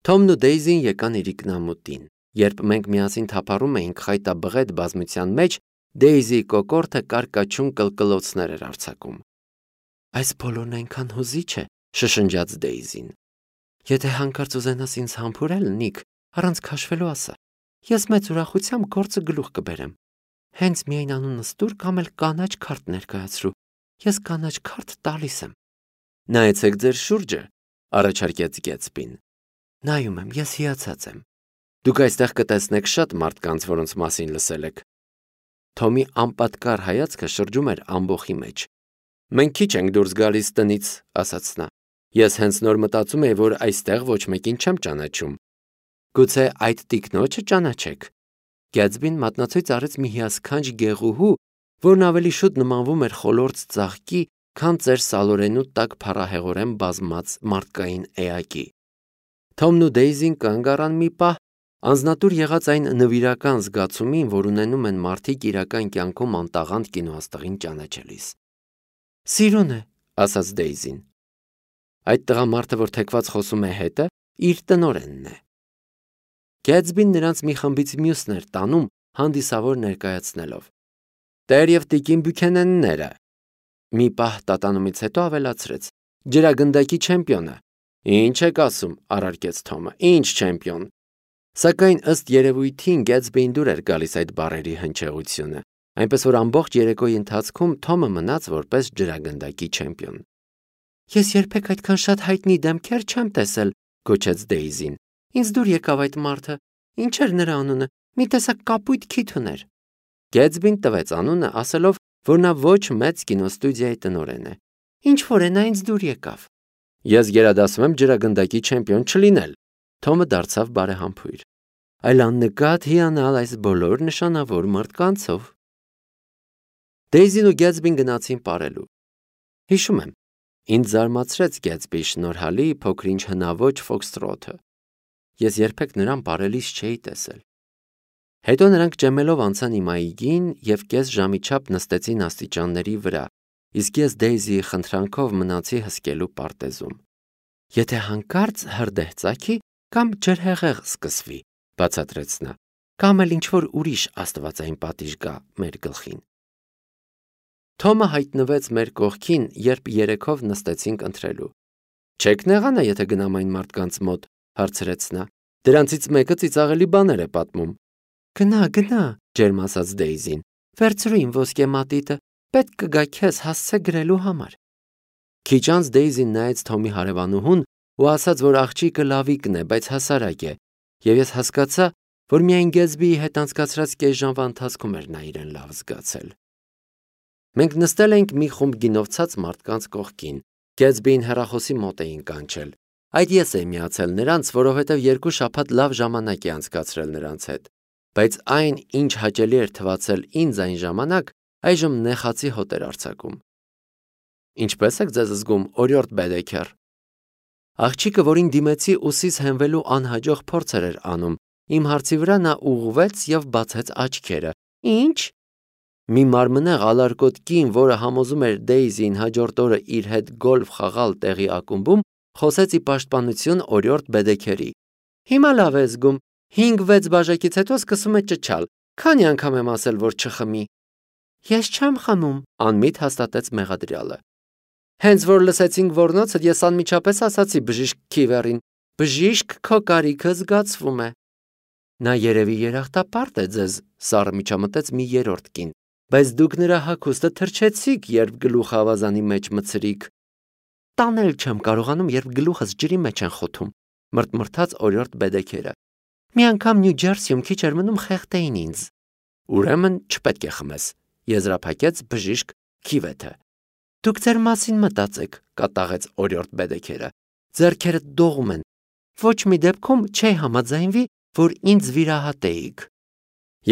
Թոմն ու Դեյզին եկան իրիկնամուտին։ Երբ մենք միասին թափառում էինք խայտաբղետ բազմության մեջ, Դեյզիի կոկորդը կարկաչուն կլկլոցներ էր արձակում։ Այս բոլորն այնքան հուզիչ է, շշնջաց Դեյզին։ Եթե հանկարծ ուզենաս ինձ համբուրել, Նիք, առանց քաշվելու ասա։ Ես մեծ ուրախությամբ գործը գլուխ կբերեմ։ Հենց միայն անունս տուր կամ էլ կանաչ քարտ ներկայացրու։ Ես կանաչ քարտ տալիս եմ։ Նայեցեք ձեր շուրջը, առաջարկեց Գեթսբին։ Նայում եմ, ես հիացած եմ։ Դուք այստեղ կտեսնեք շատ մարդկանց, որոնց մասին լսել եք։ Թոմի անպատկառ հայացքը շրջում էր ամբոխի մեջ։ Մենք քիչ ենք դուրս գալիս տնից, ասաց նա։ Ես հենց նոր մտածում էի, որ այստեղ ոչ մեկին չեմ ճանաչում։ Գուցե այդ տիկնոջը ճանաչեք։ Գեթսբին մատնացույց արեց մի հիասքանչ գեղուհու, որն ավելի շուտ նմանվում էր խոլորձ ծաղկի, քան ծեր սալորենու տակ փառահեղորեն բազմած մարդկային էակի։ Թոմն ու Դեյզին կանգ առան մի պահ, անձնատուր եղած այն նվիրական զգացումին, որ ունենում են մարդիկ իրական կյանքում անտաղանդ կինոաստղին ճանաչելիս։ Սիրուն է, ասաց Դեյզին։ Այդ տղամարդը, որ թեքված խոսում է հետը, իր տնօրենն է։ Գեթսբին նրանց մի խմբից մյուսն էր տանում, հանդիսավոր ներկայացնելով։ Տեր և տիկին Բյուքենենները։ Մի պահ տատանումից հետո ավելացրեց. Ջրագնդակի չեմպիոնը։ Ինչ եք ասում, առարկեց Թոմը, ինչ չեմպիոն։ Սակայն ըստ երևույթին Գեթսբին դուր էր գալիս այդ բառերի հնչեղությունը, այնպես որ ամբողջ երեկոյի ընթացքում Թոմը մնաց որպես ջրագնդակի չեմպիոն։ Ես երբեք այդքան շատ հայտնի դեմքեր չեմ տեսել, գոչեց Դեյզին։ Ինձ դուր եկավ այդ մարդը։ Ինչ էր նրա անունը։ Մի տեսակ կապույտ քիթ ուներ։ Գեթսբին տվեց անունը, ասելով, որ նա ոչ մեծ կինոստուդիայի տնօրեն է։ Ինչ որ է նա ինձ դուր եկավ։ Ես գերադասում եմ ջրագնդակի չեմպիոն չլինել։ Թոմը դարձավ բարեհամբույր։ Այլ աննկատ հիանալ այս բոլոր նշանավոր մարդկանցով։ Դեյզին ու Գեթսբին գնացին պարելու։ Հիշում եմ, ինձ զարմացրեց Գեթսբիի շնորհալի փոքրինչ հնաոճ ֆոքստրոթը։ Ես երբեք նրան պարելիս չէի տեսել։ Հետո նրանք ճեմելով անցան իմ այգին և կես ժամի չափ նստեցին աստիճանների վրա, իսկ ես Դեյզիի խնդրանքով մնացի հսկելու պարտեզում։ Եթե հանկարծ հրդեհ ծագի կամ ջրհեղեղ սկսվի, բացատրեց նա, կամ էլ ինչ-որ ուրիշ աստվածային պատիժ գա մեր գլխին։ Թոմը հայտնվեց մեր կողքին, երբ երեքով նստեցինք ընթրելու։ Չեք նեղանա, եթե գնամ այն մարդկանց մոտ, հարցրեց նա։ Դրանցից մեկը ծիծաղելի բաներ է պատմում։ Գնա, ջերմ ասաց Դեյզին։ Վերցրու իմ ոսկե մատիտը, պետք կգա քեզ հասցե գրելու համար։ Քիչ անց Դեյզին նայեց Թոմի հարևանուհուն ու ասաց, որ աղջիկը լավիկն է, բայց հասարակ է, և ես հասկացա, որ միայն Գեթսբիի հետ անցկացրած կես ժամվա ընթացքում էր նա իրեն լավ զգացել։ Մենք նստել էինք մի խումբ գինովցած մարդկանց կողքին։ Գեթսբիին հեռախոսի մոտ էին կանչել։ Այդ ես էի միացել նրանց, որովհետև 2 շաբաթ լավ ժամանակ է անցկացրել նրանց հետ, բայց այն, ինչ հաճելի էր թվացել ինձ այն ժամանակ, այժմ նեխացի հոտ էր արձակում։ Ինչպե՞ս եք ձեզ զգում, օրիորդ Բեդեքեր։ Աղջիկը, որին դիմեցի ուսիս հենվելու անհաջող փորձեր էր անում, իմ հարցի վրա նա ուղղվեց և բացեց աչքերը։ Ինչ։ Մի մարմնեղ ալարկոտ կին, որը համոզում էր Դեյզին հաջորդ օրը իր հետ գոլֆ խաղալ տեղի ակումբում, խոսեց ի պաշտպանություն օրիորդ Բեդեքերի։ Հիմա լավ է զգում, 5-6 բաժակից հետո սկսում է ճչալ։ Քանի անգամ եմ ասել, որ չխմի։ Ես չեմ խմում, անմիտ հաստատեց մեղադրյալը։ Հենց որ լսեցինք ոռնոցը, ես անմիջապես ասացի բժիշկ Քիվերին. Բժիշկ, քո կարիքը զգացվում է։ Նա երևի երախտապարտ է ձեզ, սառը միջամտեց մի երրորդ կին, բայց դուք նրա հագուստը թրջեցիք, երբ գլուխը ավազանի մեջ մտցրիք։ Տանել չեմ կարողանում, երբ գլուխս ջրի մեջ են խոթում, մրթմրթաց օրիորդ Բեդեքերը։ Մի անգամ Նյու Ջերսիում քիչ էր մնում խեղդեին ինձ։ Ուրեմն չպետք է խմես, եզրափակեց բժիշկ Քիվեթը։ Դուք ձեր մասին մտածեք, կատաղեց օրիորդ Բեդեքերը։ Ձեռքերդ դողում են։ Ոչ մի դեպքում չի համաձայնվի, որ ինձ վիրահատեիք։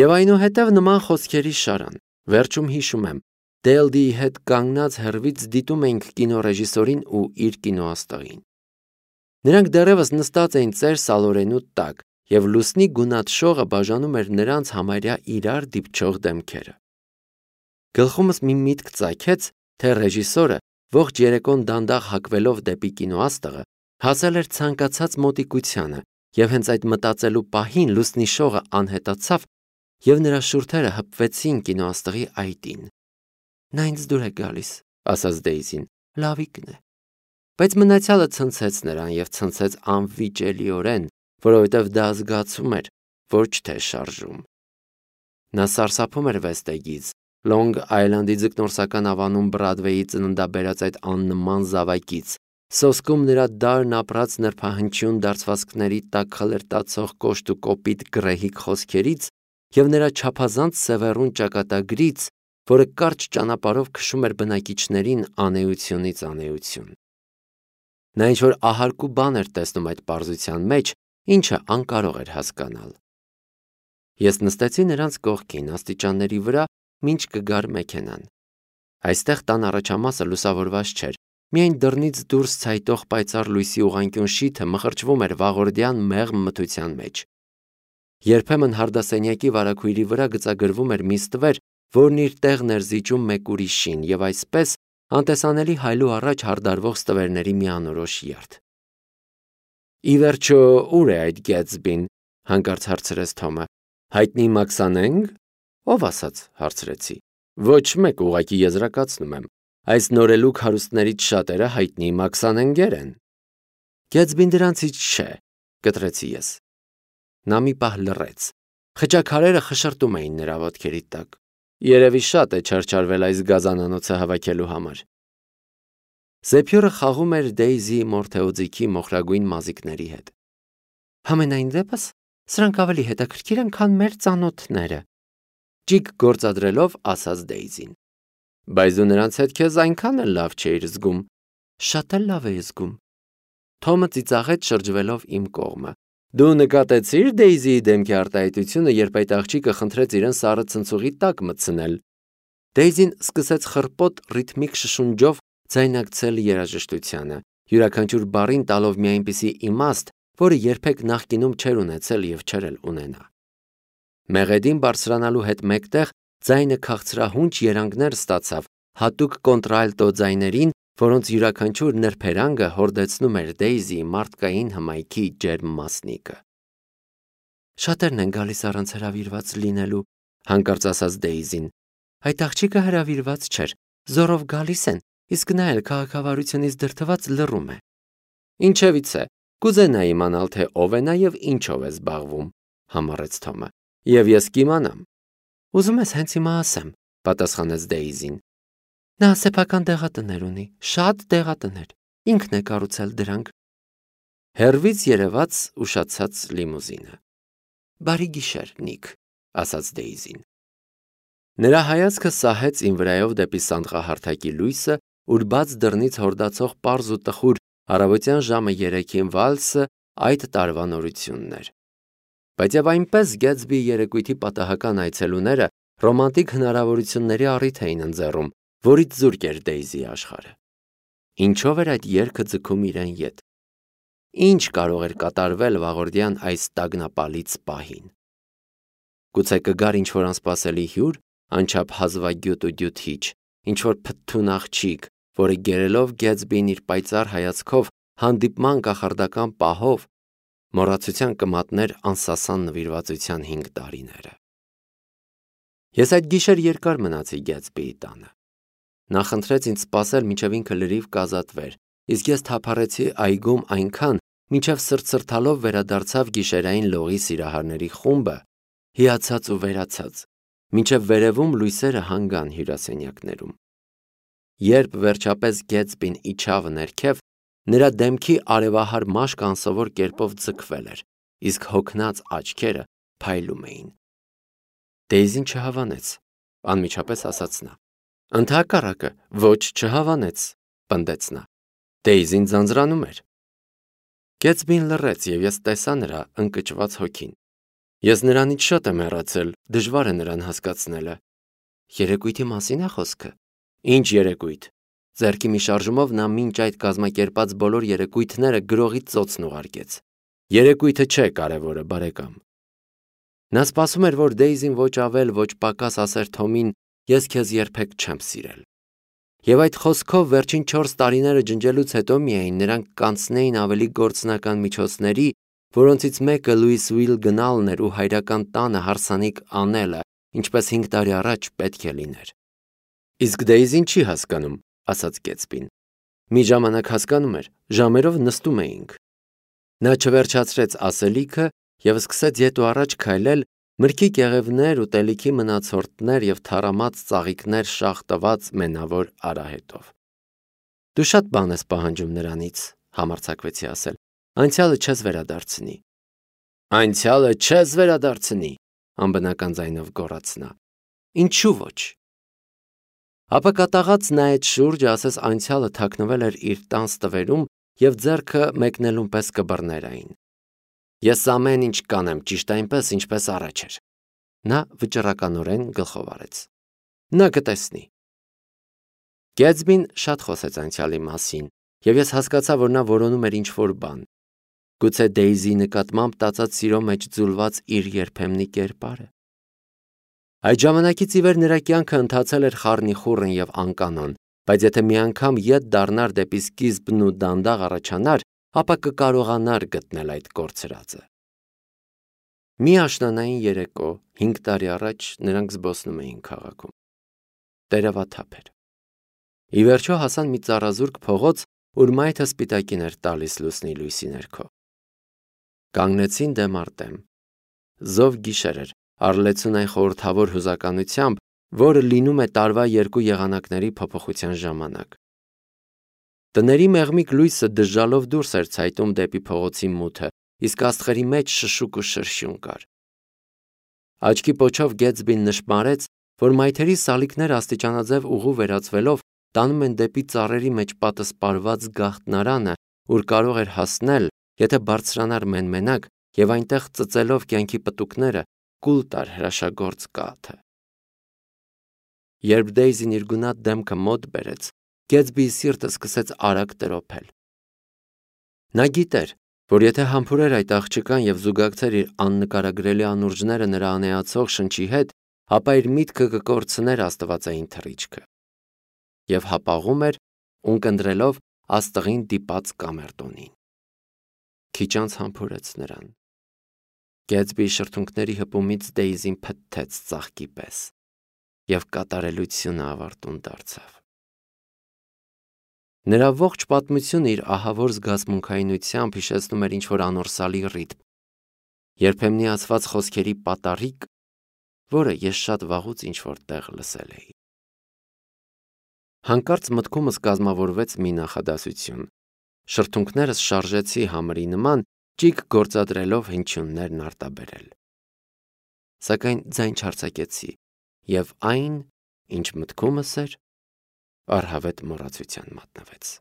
Եվ այնուհետև նման խոսքերի շարան։ Վերջում հիշում եմ, Դելդիի հետ կանգնած հեռվից դիտում էինք կինոռեժիսորին ու իր կինոաստղին։ Նրանք դեռևս նստած էին ծեր սալորենու տակ, և լուսնի գունատ շողը բաժանում էր նրանց համարյա իրար դիպչող դեմքերը։ Գլխումս մի միտք ծագեց, թե ռեժիսորը, ողջ երեկոն դանդաղ հակվելով դեպի կինոաստղը, հասել էր ցանկացած մոտիկությանը, եւ հենց այդ մտածելու պահին լուսնի շողը անհետացավ եւ նրա շուրթերը հպվեցին կինոաստղի այտին։ Նա ինձ դուր է գալիս, ասաց Դեյզին, լավիկն է։ Բայց մնացյալը ցնցեց նրան եւ ցնցեց անվիճելիորեն, որովհետեւ դա զգացում էր, ոչ թե շարժում։ Նա սարսափում էր Վեստեգից, Լոնգ Այլանդի ձկնորսական ավանում Բրադվեյի ծննդաբերած այդ աննման զավակից, սոսկում նրա դարն ապրած նրբահնչյուն դարձվածքների տակ խլրտացող կոշտ ու կոպիտ գրեհիկ խոսքերից եւ նրա չափազանց սևեռուն ճակատագրից, որը կարճ ճանապարհով քշում էր բնակիչներին անեությունից անեություն։ Նա ինչ-որ ահարկու բան էր տեսնում այդ պարզության մեջ, ինչը անկարող էր հասկանալ։ Ես նստեցի նրանց կողքին աստիճանների վրա, մինչ կգար մեքենան։ Այստեղ տան առաջամասը լուսավորված չէր, միայն դռնից դուրս ցայտող պայծառ լույսի ուղղանկյուն շիթը մխրճվում էր վաղորդյան մեղմ մթության մեջ։ Երբեմն հարդասենյակի վարագույրի վրա գծագրվում էր մի ստվեր, որն իր տեղն էր զիջում մեկ ուրիշին եւ այսպես անտեսանելի հայլու առաջ հարդարվող ստվերների մի անորոշ երթ։ Ի վերջո, ուր է այդ Գեթսբին, հանկարծ հարցրեց Թոմը։ Հայտնի Մաքսանենք։ Ով ասաց, հարցրեցի։ Ոչ մեկ, ուղղակի եզրակացնում եմ։ Այս նորելուկ հարուստներից շատերը հայտնի Մաքսանենգեր են։ Գեթսբին դրանցից չէ, կտրեցի ես։ Նա մի պահ լռեց։ Խճաքարերը խշրտում էին նրա ոտքերի տակ։ Երևի շատ է չարչարվել այս գազանանոցը հավաքելու համար։ Զեփյուրը խաղում էր Դեյզի Մորթեոձիքի մոխրագույն մազիկների հետ։ Համենայն դեպս, սրանք ավելի հետաքրքիր են, քան մեր ծանոթները, ճիգ գործադրելով ասաց Դեյզին։ Բայց դու նրանց հետ քեզ այնքան էլ լավ չէիր զգում։ Շատ էլ լավ էի զգում։ Թոմը ծիծաղեց շրջվելով իմ կողմը։ Դու նկատեցիր Դեյզիի դեմքի արտահայտությունը, երբ այդ աղջիկը խնդրեց իրեն սառը ցնցուղի տակ մտցնել։ Դեյզին սկսեց խռպոտ ռիթմիկ շշունջով ձայնարկել երաժշտությանը, յուրաքանչյուր բառին տալով մի այնպիսի իմաստ, որը երբեք նախկինում չէր ունեցել եւ չէր էլ ունենա։ Մեղեդին բարձրանալու հետ մեկտեղ ձայնը քաղցրահունչ երանգներ ստացավ հատուկ կոնտրալտո ձայներին, որոնց յուրաքանչյուր նրբերանգը հորդեցնում էր Դեյզիի մարդկային հմայքի ջերմ մասնիկը։ Շատերն են գալիս առանց հրավիրված լինելու, հանկարծ ասաց Դեյզին։ Այդ աղջիկը հրավիրված չէր, զորով գալիս են, իսկ նա էլ քաղաքավարությունից դրդված լռում է։ Ինչևից է, կուզենա իմանալ, թե ով է նա եւ ինչով է զբաղվում, համառեց Թոմը։ Եվ ես կիմանամ։ Ուզում ես հենց հիմա ասեմ, պատասխանեց Դեյզին։ Նա սեփական դեղատներ ունի, շատ դեղատներ, ինքն է կառուցել դրանք։ Հերվից երևաց ուշացած լիմուզինը։ Բարի գիշեր, Նիկ, ասաց Դեյզին։ Նրա հայացքը սահեց իմ վրայով դեպի սանդղահարթակի լույսը, ուր բաց դռնից հորդացող պարզ ու տխուր առավոտյան ժամը 3-ին վալսը այդ տարվա նորությունն էր։ Բայց եւ այնպես Գեթսբիի երեկույթի պատահական այցելուները ռոմանտիկ հնարավորությունների առիթ էին ընձեռում, որից զուրկ էր Դեյզի աշխարհը։ Ինչով էր այդ երգը ձգում իրեն ետ։ Ինչ կարող էր կատարվել վաղորդյան այս տագնապալից պահին։ Գուցե կգար ինչ-որ անսպասելի հյուր, անչափ հազվագյուտ ու դյութիչ, ինչ-որ փթթուն աղջիկ, որը գերելով Գեթսբին իր պայծառ հայացքով հանդիպման կախարդական պահով մոռացության կմատներ անսասան նվիրվածության 5 տարիները։ Ես այդ գիշեր երկար մնացի Գեթսբիի տանը։ Նա խնդրեց ինձ սպասել, մինչև ինքը լրիվ կազատվեր, իսկ ես թափառեցի այգում այնքան, մինչև սրտսրտալով վերադարձավ գիշերային լողի սիրահարների խումբը, հիացած ու վերացած, մինչև վերևում լույսերը հանգան հյուրասենյակներում։ Երբ վերջապես Գեթսբին իջավ ներքև, նրա դեմքի արևահար մաշկը անսովոր կերպով ձգվել էր, իսկ հոգնած աչքերը փայլում էին։ Դեյզին չհավանեց, անմիջապես ասաց նա։ Ընդհակառակը, ոչ չհավանեց, պնդեց նա։ Դեյզին ձանձրանում էր։ Գեթսբին լռեց եւ ես տեսա նրա ընկճված հոգին։ Ես նրանից շատ եմ հեռացել, դժվար է նրան հասկացնելը։ Երեկույթի մասին է խոսքը։ Ինչ երեկույթ։ Ձեռքի մի շարժումով նա մինչ այդ կազմակերպած բոլոր երեկույթները գրողի ծոցն ուղարկեց։ Երեկույթը չէ կարևորը, բարեկամ։ Նա սպասում էր, որ Դեյզին ոչ ավել, ոչ պակաս ասեր Թոմին, ես քեզ երբեք չեմ սիրել։ Եվ այդ խոսքով վերջին 4 տարիները ջնջելուց հետո միայն նրանք կանցնեին ավելի գործնական միջոցների որոնցից մեկը Լուիսվիլ գնալն էր ու հայրական տանը հարսանիք անելը, ինչպես 5 տարի առաջ պետք է լիներ։ Իսկ Դեյզին չի հասկանում, ասաց Գեթսբին։ Մի ժամանակ հասկանում էր, ժամերով նստում էինք։ Նա չվերջացրեց ասելիքը և սկսեց ետ ու առաջ քայլել, մրգի կեղևներ, ուտելիքի մնացորդներ և թառամած ծաղիկներ շաղ տված մենավոր արահետով։ Դու շատ բան ես պահանջում նրանից, համարձակվեցի ասել, անցյալը չես վերադարձնի։ Անցյալը չես վերադարձնի, անբնական ձայնով գոռաց նա։ Ինչու ոչ։ Ապա կատաղած նայեց շուրջը, ասես անցյալը թաքնվել էր իր տան ստվերում և ձեռքը մեկնելուն պես կբռներ այն։ Ես ամեն ինչ կանեմ ճիշտ այնպես, ինչպես առաջ էր։ Նա վճռականորեն գլխով արեց։ Նա կտեսնի։ Գեթսբին շատ խոսեց անցյալի մասին, և ես հասկացա, որ նա որոնում էր ինչ-որ բան։ Գուցե Դեյզիի նկատմամբ տածած սիրո մեջ ձուլված իր երբեմնի կերպարը։ Այդ ժամանակից ի վեր նրա կյանքը ընթացել էր խառնիխուռն և անկանոն, բայց եթե մի անգամ ետ դառնար դեպի սկիզբն ու դանդաղ առաջանար, ապա կկարողանար գտնել այդ կորցրածը։ Մի աշնանային երեկո 5 տարի առաջ նրանք զբոսնում էին քաղաքում։ Տերևաթափ էր։ Ի վերջո հասան մի ծառազուրկ փողոց, ուր մայթը սպիտակին էր տալիս լուսնի լույսի ներքո։ Կանգնեցին դեմ առ դեմ։ Զով գիշեր էր, առլեցուն այն խորհրդավոր հուզականությամբ, որը լինում է տարվա երկու եղանակների փոփոխության ժամանակ։ Տների մեղմիկ լույսը դժժալով դուրս էր ցայտում դեպի փողոցի մութը, իսկ աստղերի մեջ շշուկ ու շրշյուն կար։ Աչքի պոչով Գեթսբին նշմարեց, որ մայթերի սալիկները աստիճանաձև ուղու վերածվելով տանում են դեպի ծառերի մեջ պատսպարված գաղտնարանը, ուր կարող էր հասնել, եթե բարձրանար մենմենակ և այնտեղ ծծելով կյանքի պտուկները կուլ տար հրաշագործ կաթը։ Երբ Դեյզին իր գունատ դեմքը մոտ բերեց, Գեթսբիի սիրտը սկսեց արագ տրոփել։ Նա գիտեր, որ եթե համբուրեր այդ աղջկան և զուգակցեր իր աննկարագրելի անուրջները նրա անեացող շնչի հետ, ապա իր միտքը կկորցներ աստվածային թռիչքը։ Եվ հապաղում էր, ունկնդրելով աստղին դիպած կամերտոնին։ Քիչ անց համբուրեց նրան։ Գեթսբիի շրթունքների հպումից Դեյզին փթթեց ծաղկի պես, և կատարելությունը ավարտուն դարձավ։ Նրա ողջ պատմությունը իր ահավոր զգացմունքայնությամբ հիշեցնում էր ինչ-որ անորսալի ռիթմ, երբեմնի ասված խոսքերի պատառիկ, որը ես շատ վաղուց ինչ-որ տեղ լսել էի։ Հանկարծ մտքումս կազմավորվեց մի նախադասություն։ Շրթունքներս շարժեցի համրի նման, ճիգ գործադրելով հնչյուններն արտաբերել։ Սակայն ձայն չարձակեցի, և այն, ինչ մտքումս էր, առհավետ մոռացության մատնվեց։